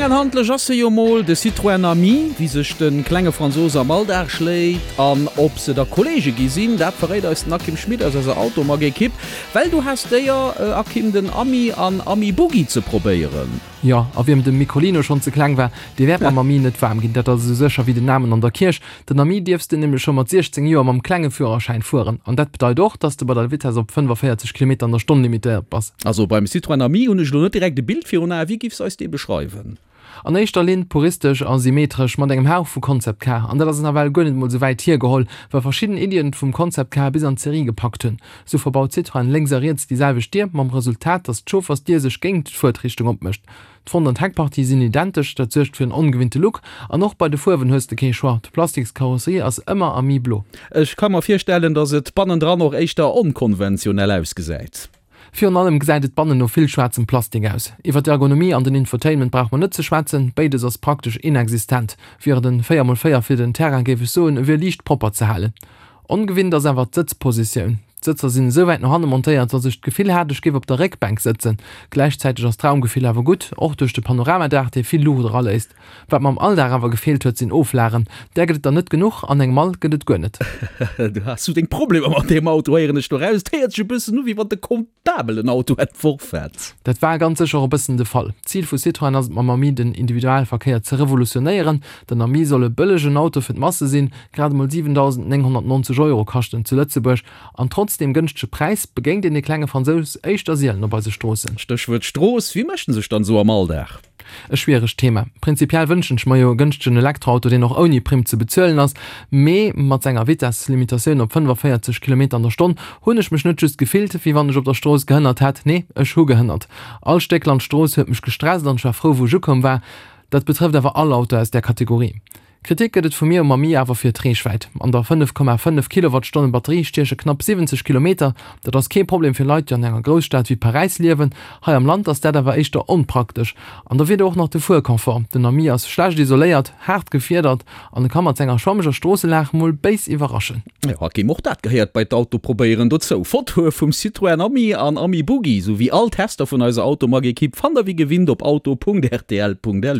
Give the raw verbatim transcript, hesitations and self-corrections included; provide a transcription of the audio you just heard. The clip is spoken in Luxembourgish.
Kleng an handlech ass se jo mol, de Citroën Ami. Wéi sech de klenge Fransous am Alldag schléit an ob se da Kolleege gi sinn, dat verréit eis den Akim Schmit aus eiser Automag-Ekipp. Well du has d'Éier, Akim, den Ami an Ami Buggy ze probéieren. Jo, a wiem de Microlino schonn ze kleng war, dee wäert mam Ami net waarm ginn. Dat ass esou sécher wéi den Amen an der Kierch. Den Ami dierfs de nämlech scho mat siechzéng Joer mam klenge Führerschäin fueren. An dat bedeit och, dass de bei der Vitess op fënnefaféierzeg Kilometer an der Stonn limitéiert bass. Also beim Citroën Ami hunn ech elo net direkt e Bild virun Ae. Wéi giffs eis dee beschreiwen? An éischter Linn puristesch a symmetresch, mat engem Hauch vu Concept Car. An dat ass nawell guer net mol sou wäit hiergeholl, well verschidden Iddien vum Concept Car bis an d'Serie gepackt hunn. Sou verbaut Citroën lénks a riets déi selwecht Dier, mam Resultat, dass d'Chauffersdier sech géingt d'Fuertrichtung opmécht. D'Front an d'Heckpartie sinn identesch, dat suergt fir en ongewinnte Look. An och bei de Fuerwen hues de kee Choix, d'Plastikskarosserie ass ëmmer Ami Blo. Ech ka mer virstellen, dass et bannendran och éischter onkonventionell ausgesäit. Virun allem gesäit et bannen no vill schwaarzem Plastik aus. Iwwer d'Ergonomie an den Infotainment brauch mer net ze schwätzen, béides ass praktesch inexistent. Wier et en véier mol véier fir den Terrain, géif ech soen, e wier liicht propper ze halen. Ongewinnt ass awer d'Sëtzpositioun. D'Sëtzer sinn esou wäit no hanne montéiert, datt ech d'Gefill hat, ech géif op der Réckbänk sëtzen. Gläichzäiteg ass d'Raumgefill awer gutt, och duerch de Panoramadaach, dee vill Luucht eraléisst. Wat mer am Alldag awer gefeelt huet, sinn Oflagen. Där gëtt et der net genuch, an eng Mall gëtt et guer net. Du has sou deng Problemer mat deem Auto, héieren ech do raus. Et héiert sech e bëssen u, wéi wann de Comptabel en Auto entworf hätt. Dat war ganz sécher och e bëssen de Fall. D'Zil vu Citroën ass et mam Ami den Individualverkéier ze revolutionéieren. Den Ami soll e bëllegen Auto fir d'Masse sinn, grad emol siwendausendnénghonnertnonzeg Euro kascht en zu Lëtzebuerg. An trotz deem gënschtege Präis begéint een de klenge Fransous éischter sielen op eise Stroossen. Stéchwuert Strooss, Wéi mécht en sech dann esou am Alldag? E schwieregt Thema. Prinzipiell wënschen ech mer jo e gënschtegen Elektroauto, deen och ouni Primm ze bezuelen ass. Mee mat senger Vitesslimitatioun op fënnefaféierzeg Kilometer an der Stonn hunn ech mech net just gefillt, wéi wann ech op der Strooss gehënnert hätt. Nee, ech hu gehënnert. All Stéck Landstrooss huet mech gestresst an ech war frou, wou ech ukomm war. Dat betrëfft awer all Auto aus där Kategorie. Kritik gëtt et vu mir um Ami awer fir d'Reechwäit. An der fënnef Komma fënnef Kilowattstonnen Batterie stieche knapp siwwenzeg Kilometer. Dat ass kee Problem fir Leit, déi an enger Grousstad wéi Paräis liewen. Hei am Land ass dat awer éischter onpraktesch. An da wier do och nach de Fuerconfort. Den Ami ass schlecht isoléiert, haart gefiedert an e ka mat senger schwammeger Stroosselag mol béis iwwerraschen. Jo, Hakim, och dat gehéiert bei d'Autoprobéieren dozou. Fotoe vum Citroën Ami an Ami Buggy, sou wéi all Tester vun eiser Automag-Ekipp fannt der wéi gewinnt op auto punkt rtl punkt lu.